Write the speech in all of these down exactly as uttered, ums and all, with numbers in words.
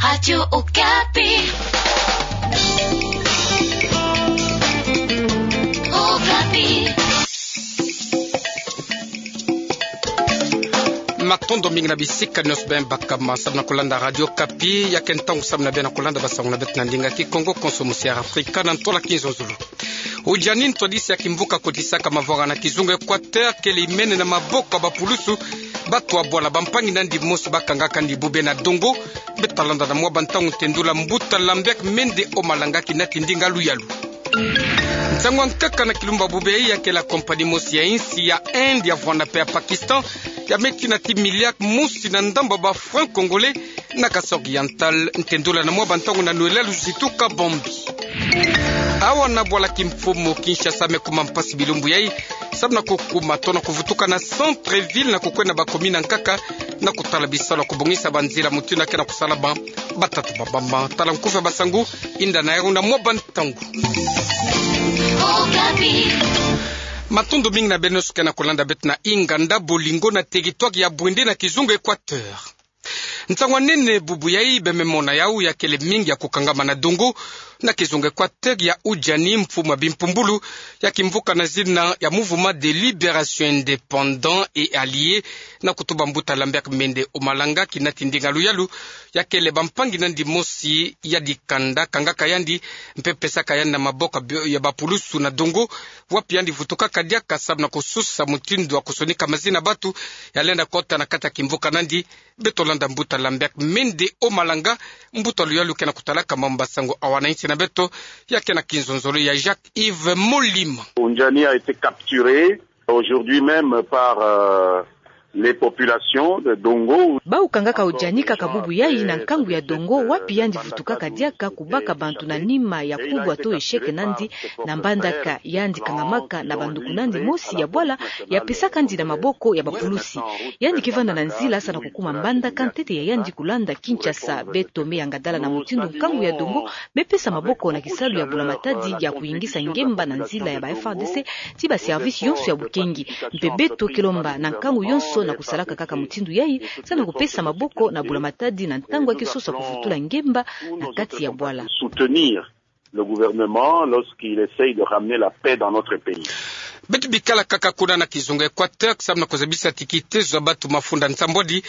Radio Okapi. Okapi. Matondo mingi na bisika nyonso bem bakama samu na kulanda Radio Okapi, ya ke ntangu samu na bem na kulanda basango na beto na ndinga Kikongo, konso musi ya Afrika na ntola kinzonzolo. Ujani ntwadisi ya kimvuka kotisaka mavwanga na kizunga Equateur kele imene na maboko ya bapulusu. Batu abwala bampangi nandi mosi bakangaka ndi bube na dongo. Beto talanda na mwa bantangu ntendula mbuta Lambert Mende Omalanga kinati ndinga luyalu. Nsangu ya nkaka na kilumbu ya bube yayi ya ke la compagnie mosi ya insi ya Inde ya vwanda mpe ya Pakistan ya me tina ti milliard mosi na ndambu ya ba francs congolais na Kasaï Oriental. Ntendula na mwa bantangu na Noëlla Luzitu Kabambi. Awa na bwala kimfumu Kinshasa me kuma mpasi bilumbu yayi samu na kukuma to na kuvutuka na centre-ville na kukwenda ba commune ya nkaka na kutala bisalu ya kubongisa banzila mutindu ya ke na kusalama. Batatu ba bamba tala nkufi ya basango, inda na yau na mwa bantangu. Matondo mingi na beno nyonso ke na kulanda beto na inganda Bolingo na territoire ya Bouendé na kizunga Equateur. Nsangu ya nene bubu yayi beme mona yau ya kele mingi ya kukangama na dongo na kizunga Equateur ya ujani. Mfumu ya bimpumbulu ya kimvuka na zina ya Mouvement de Libération Indépendant et Alliés, na kutuba mbuta Lambert Mende Omalanga kinati ndinga luyalu, ya kele bampangi nandi mosi ya dikanda kangaka yandi mpe pesaka yandi na maboko ya bi-, ya bapulusu na dongo, wapi yandi vutukaka diaka samu na kususa mutindu ya kusonika mazina batu ya lenda kota na kati ya kimvuka nandi. Beto landa mbuta Lambert Mende Omalanga, mbuta luyalu ke na kutalaka mambu basango awa na insi na beto, ya ke na kinzonzolo ya Jacques-Yves Molima. Ujani a été capturé aujourd'hui même par, euh, les populations de Dongo. Bau kangaka ujani kaka bubu yayi na nkangu ya dongo, wapi yandi vutukaka diaka kubaka bantu na nima ya kubwa to échec nandi na mbandaka. Yandi kangamaka na banduku nandi mosi ya bwala, ya pesaka yandi na maboko ya bapulusi. Yandi ke vanda na nzila samu na kukuma mbandaka ntete ya yandi kulanda Kinshasa. Beto me yangadala na mutindu nkangu ya dongo me pesa maboko na kisalu ya bula-matadi ya kuyingisa ngemba na nzila ya ba F A R D C ti ba service yonso ya bukengi. Mpe beto ke lomba na nkangu yonso na kusalaka kaka mutindu yayi, samu na kupesa maboko na bula-matadi na ntangu ya ke sosa kuvutula ngemba na kati ya bwala. Soutenir le gouvernement lorsqu'il essaye de ramener la paix dans notre pays. Beto bikala kaka kuna na kizunga Equateur samu na kuzabisa ti kitezo ya batu mafunda nsambwadi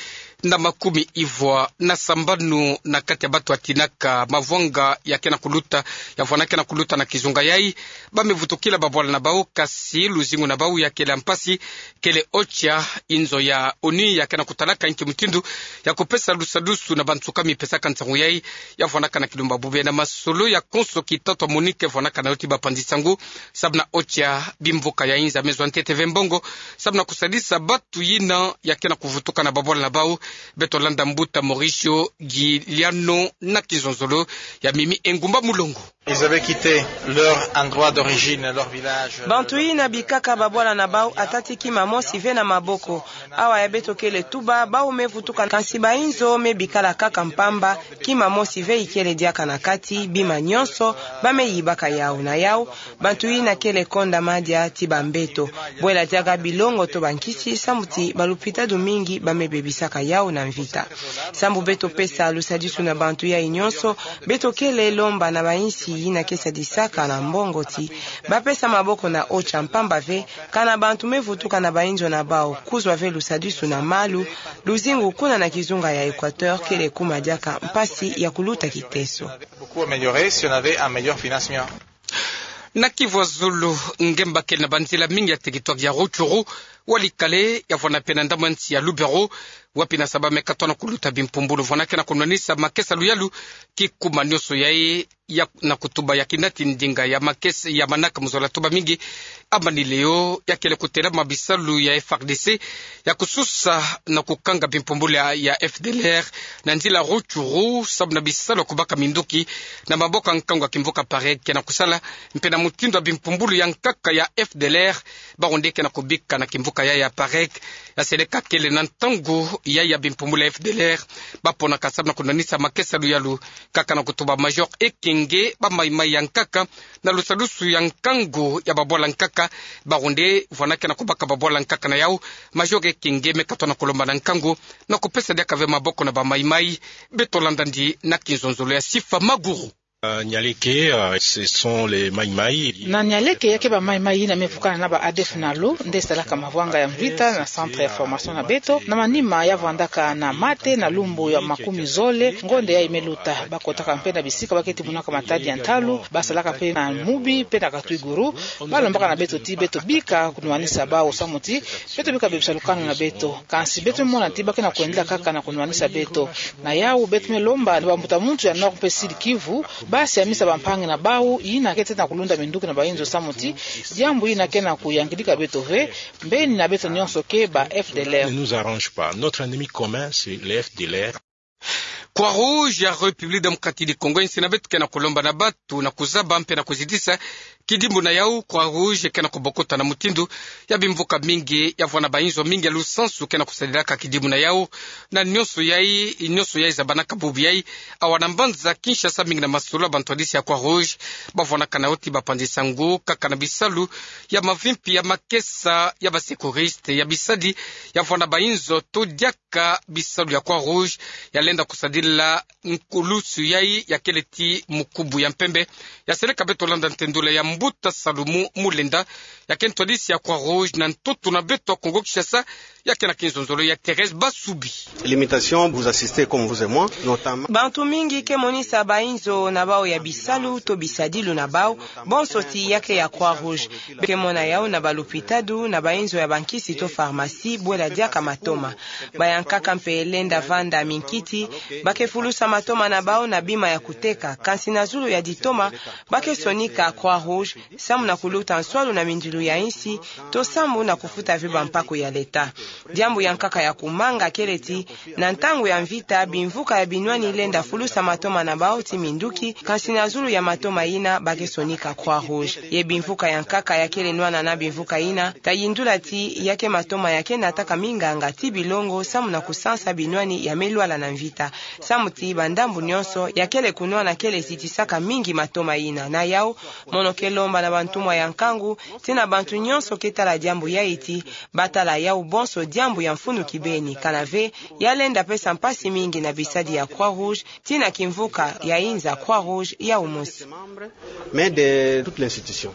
na makumi ivwa na sambanu na kati ya batu ya tinaka mavwanga ya ke na kuluta, ya vwanda ke na kuluta na kizunga yayi, ba me vutukila babwala na bau, kasi luzingu na bau ya kele ya mpasi. Kele OCHA, inzo ya ONU ya ke na kutalaka inki mutindu ya kupesa lusadusu na bansuka mi pesaka nsangu yayi, ya vwandaka na kilumbu ya bube na masolo ya konso kitatu ya MONUC vwandaka na yo ti bapanzi nsangu. Samu na OCHA, bimvuka ya inza me zwa ntete ve mbongo samu na kusadisa batu yina ya ke na kuvutuka na babwala na bau. Beto landa mbuta Mauricio Giuliano na kinzonzolo ya Mimi Engumba Mulongo. Ils avaient quitté leur endroit d'origine, leur village. Bantu yina bikaka babwala na bau atati kima mosi ve na maboko. Awa ya beto kele tuba, bau me vutuka, kasi bainzo me bikala kaka mpamba, kima mosi ve ikele diaka na kati, bima nyonso ba me yibaka yau na yau. Bantu yina kele konda madia ti bambeto, bwela diaka bilongo to bankisi, samu ti balupitadu mingi ba me bebisaka yau na mvita. Samu beto pesa lusadisu na bantu yayi nyonso, beto kele lomba na bainsi yina ke sadisaka na mbongo ti ba pesa maboko na OCHA mpamba ve, kana bantu me vutuka na bainzo na bau kuzwa ve lusadisu na malu, luzingu kuna na kizunga ya Equateur kele kuma diaka mpasi ya kuluta kiteso. Beaucoup amélioré si on avait un meilleur financement. Na Kivu ya Zulu, ngemba kele na banzila mingi ya territoire ya Rutshuru, Walikale, ya vwanda mpe na ndambu ya nsi ya Lubero, wapi na saba me katwa na kuluta bimpumbulu vwanda ke na kunwanisa makesa luyalu. Kikuma nyonso yayi ya na kutuba ya kinati ndinga ya makesa ya manaka mu zola tuba mingi, amani leo ya kele kutelama bisalu ya F A R D C ya kususa na kukanga bimpumbulu ya, ya F D L R na nzila Rutshuru, samu na bisalu ya kubaka minduki na maboko ya nkangu ya kimvuka Parek ke na kusala, mpe na mutindu ya bimpumbulu ya nkaka ya F D L R, bawu nde ke na kubika na kimvuka ya, ya Parek. Ya seleka kele na ntangu ya, ya bimpumbulu ya F D L R ba ponaka samu na kunwanisa makesa luyalu, kaka na kutuba Major Eking Kenge, bamaimai ya nkaka, na lusalusu ya nkangu ya babwala nkaka, bawu nde vwana ke na kubaka babwala nkaka na yawu. Major Kenge me katona kulomba na nkangu na kupesa diaka ve maboko na bamaimai. Beto landa ndi na kinzonzolo ya Sifa Maguru. Euh, Nialeke, euh, ce sont les Maïmaï. Na Nialeke, ya ke bamaimai yina me vukana na ba ADF-NALU, nde salaka mavwanga ya mvita na centre ya formation na beto, na manima ya vwandaka na mate na lumbu ya makumi zole, ngonde yayi me luta. Bakotaka mpe na bisika ba ke timunaka matadi ya ntalu, basalaka mpe na mubi, mpe na katwiguru, balombaka na beto ti beto bika kunwanisa bawu samu ti beto bika bebisa lukanu na beto. Kansi beto mona ti ba ke na kwendela kaka na kunwanisa beto. Na yawu beto me lomba na bambuta muntu ya Nord mpe Sud Kivu, basiamisa bampangi na bawu yina ke teta na kulunda minduki na bainzo samu ti diambu yina ke na kuyangidika beto ve, mbeni na beto nyonso ke ba FDLR. Ne nous arrange pas. Notre ennemi commun, c'est les FDLR. Croix-Rouge ya République Démocratique du Congo, insi na beto ke na kulomba na bantu na kuzaba mpe na kuzitisa kidimbu na yawu. Croix-Rouge ke na kubokota na mutindu ya bimvuka mingi ya vwana bainzo mingi ya lusansu ke na kusadilaka kidimbu na yawu. Na nyonso yayi, nyonso yayi zabanaka bubu yayi, awa na mbanza Kinshasa, mingi na masolo ya bantwadisi ya Croix-Rouge bavwanaka na yo ti bapanzisa ngu kaka na bisalu ya mavimpi, ya makesa, ya basecouriste, ya bisadi ya vwana bainzo to diaka ka bisalu ya Croix-Rouge ya lenda kusadila nkulusu yayi ya kele ti mukubu ya mpembe. Ya seleka beto landa ntendula ya mbuta Salumu Mulenda, ya ke ntwadisi ya Croix-Rouge na ntoto na beto Kongo-Kinshasa, ya ke na kinzonzolo ya Thérèse Basubi. Limitation, vous assistez comme vous et moi, notamment. Bantu mingi ke monisa bainzo na bawu ya bisalu to bisadilu na bawu, bonso ti ya ke ya Croix-Rouge. Be ke mona yawu na balupitadu, na bainzo ya bankisi to pharmacie, bwela diaka matoma. Bayankaka mpe lenda vanda minkiti, ba ke fulusa matoma na bawu na bima ya kuteka, kansi na zulu ya ditoma, ba ke sonika Croix-Rouge, samu na kuluta nswalu na mindilu ya insi, to samu na kufuta ve bampaku ya leta. Diambu ya nkaka ya kumanga kele ti, na ntangu ya mvita, bimvuka ya binwani lenda fulusa matoma na bawu ti minduki, kansi na zulu ya matoma yina ba ke sonika Croix-Rouge. Ye bimvuka ya nkaka ya kele nwana na bimvuka yina, ta yindula ti ya ke matoma ya ke nataka minganga ti bilongo samu na kusansa binwani ya me lwala na mvita. Samu ti bandambu nyonso ya kele kunwana kele zitisaka mingi matoma yina. Na yawu, mono ke lomba na bantumwa ya nkangu, ti na bantu nyonso ke tala diambu yayi ti, ba tala yawu bonso diambu ya mfunu kibeni, kana ve ya lenda pesa mpasi mingi na bisadi ya Croix-Rouge, ti na kimvuka ya inza Croix-Rouge yawu mosi. Mais de toute l'institution.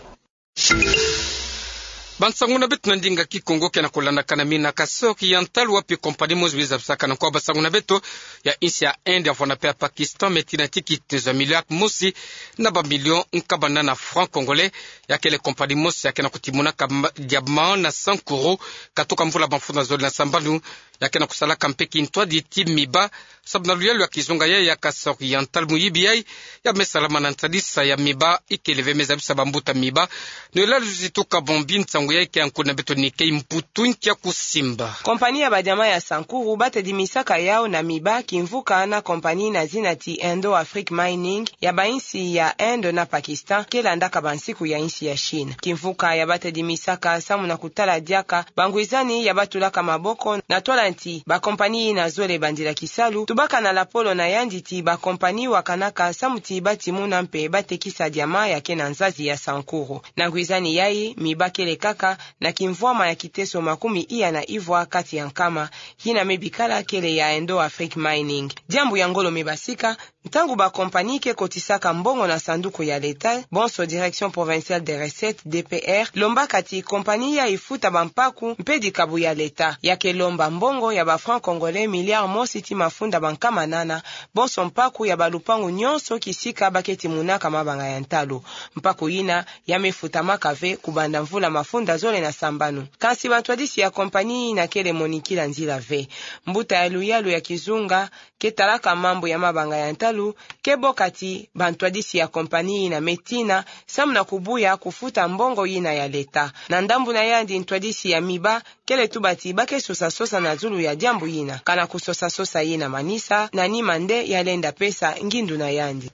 Bansangu na beto na ndinga Kikongo ke na kulandakana mina Kasaï Oriental, wapi compagnie mosi bizabisaka na nkwa bansangu na beto ya insi ya Inde, ya vwana mpe ya Pakistan, me tina ti kitezo ya miliare mosi na bamilio nkabana na francs congolais. Ya kele compagnie mosi ya ke na kutimunaka ma-, diamant na Sankuru, katuka mvula mafunda zole na sambanu. Ya ke na kusalaka mpe kintwadi ti miba, sabu na luyalu ya kizunga yayi ya Kasaï Oriental, muyibi yayi ya me salama na ntadisa ya miba, ikele ve me zabisa bambuta miba. Noëlla Luzitu Kabombi, nsangu yayi ke ya nkundi na beto Nikei Mputu nkia kusimba. Compagnie ya badiamant ya Sankuru ba tadimisaka yawu na miba, kimvuka na compagnie na zina ti Indo Afrique Mining, ya bainsi ya Inde na Pakistan, ke landaka bansiku ya insi ya Chine. Kimvuka ya ba tadimisaka samu na kutala diaka bangwizani ya ba tulaka maboko na twala nti bacompagnie yina zole bandila kisalu, tubaka na lapolo na yandi ti bacompagnie wakanaka samu ti ba timuna mpe ba tekisa diamant ya ke na nzazi ya Sankuru. Na ngwizani yayi, miba kele kaka na kimvwama ya kiteso makumi iya na ivwa kati ya nkama, yina me bikala kele ya Indo Afrique Mining. Diambu ya ngolo me basika, ntangu bacompagnie ke kotisaka mbongo na sanduku ya leta, bonso Direction Provinciale des Recettes, D P R, lombaka ti compagnie yayi futa bampaku mpe dikabu ya leta. Ya ke lomba mbongo ya bafrancs congolais miliare mosi ti mafunda bankama nana, bonso mpaku ya balupangu nyonso kisika ba ke timunaka mabanga ya ntalu. Mpaku yina ya me futamaka ve kubanda mvula mafunda zole na sambanu. Kansi bantwadisi ya compagnie yina kele monikila nzila ve. Mbuta ya luyalu ya kizunga ke talaka mambu ya mabanga ya ntalu ke boka ti bantwadisi ya compagnie yina me tina samu na kubuya kufuta mbongo yina ya leta. Na ndambu na yandi, ntwadisi ya miba kele tuba ti ba ke sosa-sosa na zulu ya diambu yina. Kana kusosa-sosa yina manisa, na nima nde ya lenda pesa ngindu na yandi.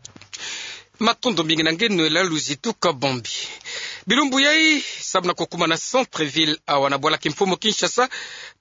Matondo mingi na nge Noëlla Luzitu Kabombi. Bilumbu yayi, samu na kukuma na centre-ville awa na bwala kimfumu Kinshasa,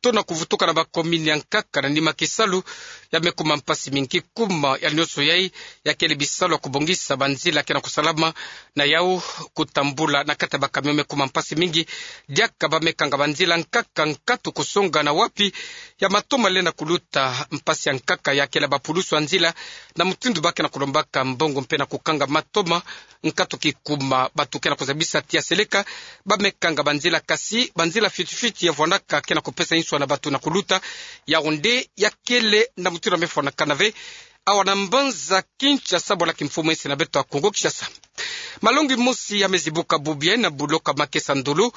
tona kuvutuka na bakomini ya nkaka na nima kisalu, ya me kuma mpasi mingi. Kuma ya nionso yai, ya kele bisalu ya kubongisa banzila ke na kusalama, na yau kutambula na kati ya bakamion me kuma mpasi mingi. Diaka ba me kanga banzila nkaka, nkatu kusonga na wapi, ya matoma lenda kuluta. Mpasi ya nkaka ya kele bapulusu ya nzila, na mutindu ba ke na kulombaka mbongo mpe na kukanga matoma. Nkatu kikuma, batu ke na kuzabisa tia seleka ba me kanga banzila, kasi banzila fiti fiti ya vwandaka ke na kupesa inswa na batu na kuluta. Yau nde ya kele na mutindu ya me fwanakana ve awa na mbanza Kinshasa, bwala kimfumu ese na beto ya Kongo Kinshasa. Malongi mosi ya me zibuka bubu yai na buloko ya makesa ndolo,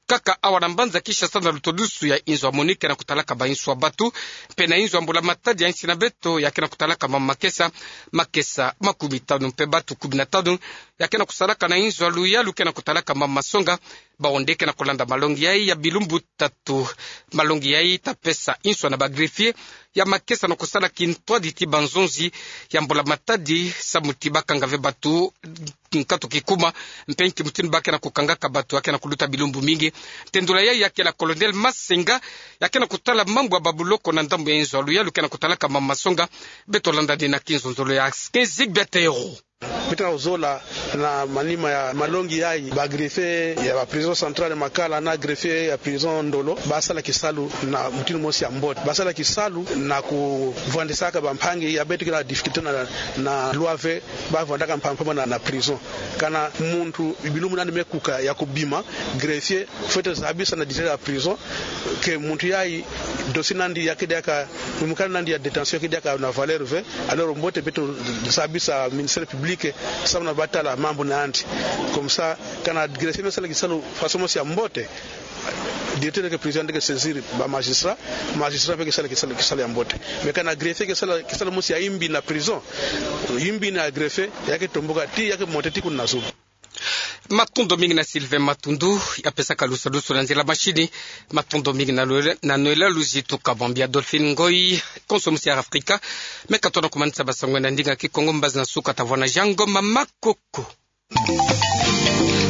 kaka awa na mbanza Kinshasa, na lutodusu ya inzo ya MONUC ke na kutalaka ba inswa batu, mpe na inzo ya mbula matadi ya insi na beto ya ke na kutalaka mama makesa, makesa makumi tanu, mpe batu kumi na tanu ya ke na kusalaka na inzo ya luyalu ke na kutalaka mama masonga. Bawu nde ke na kulanda malongi yai ya bilumbu tatu. Malongi yai ta pesa inswa na ba greffier ya makesa na kusala kintwadi ti banzonzi ya mbula matadi, samu ti ba kanga ve batu nkatu kikuma, mpe nki mutindu ba ke na kukangaka batu ya ke na kuluta bilumbu mingi. Tendula yai ya kele Colonel Masenga, ya ke na kutala mambu ya babuloko na ndambu ya inzo ya luyalu ke na kutalaka mama masonga. Beto landa dina kinzonzolo ya Ske Zigbetero. Beto na kuzola na manima ya malongi yai, ba greffier ya ba prison centrale Makala na greffier ya prison Ndolo ba sala kisalu na mutindu mosi ya mbote. Ba sala kisalu na kuvwandisaka bampangi ya beto ke na difficulté na, na loi ve, ba vwandaka mpamba na, na prison. Kana muntu bilumbu nandi me kuka ya kubima, greffier fwete zabisa na directeur ya prison ke muntu yai dossier nandi ya ke diaka, mukanda nandi ya détention ya ke diaka na valeur ve. Alors mbote beto zabisa ministère public samu na ba tala mambu nandi. Comme ça, kana greffier me sala kisalu façon mosi ya mbote, directeur ke prison nde ke saisir ba magistrat, magistrat mpe ke sala kisalu, kisalu ya mbote. Mais kana greffier ke sala kisalu mosi ya imbi na prison, imbi na greffier, ya ke tomboka ti, ya ke monter ti kuna zulu. Matondo mingi na Sylvain Matundu, ya pesaka lusadusu na nzila machine. Matondo mingi na Noël, na Noël Luzi Tuka Bambi. Adolphine Ngoy, konso mosi ya Afrika me katona kumanisa basango na ndinga Kikongo, mbazi na suka ta vwanda na Jean Ngoma Makoko.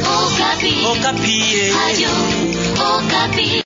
Okapi. Okapi, eh. Radio Okapi.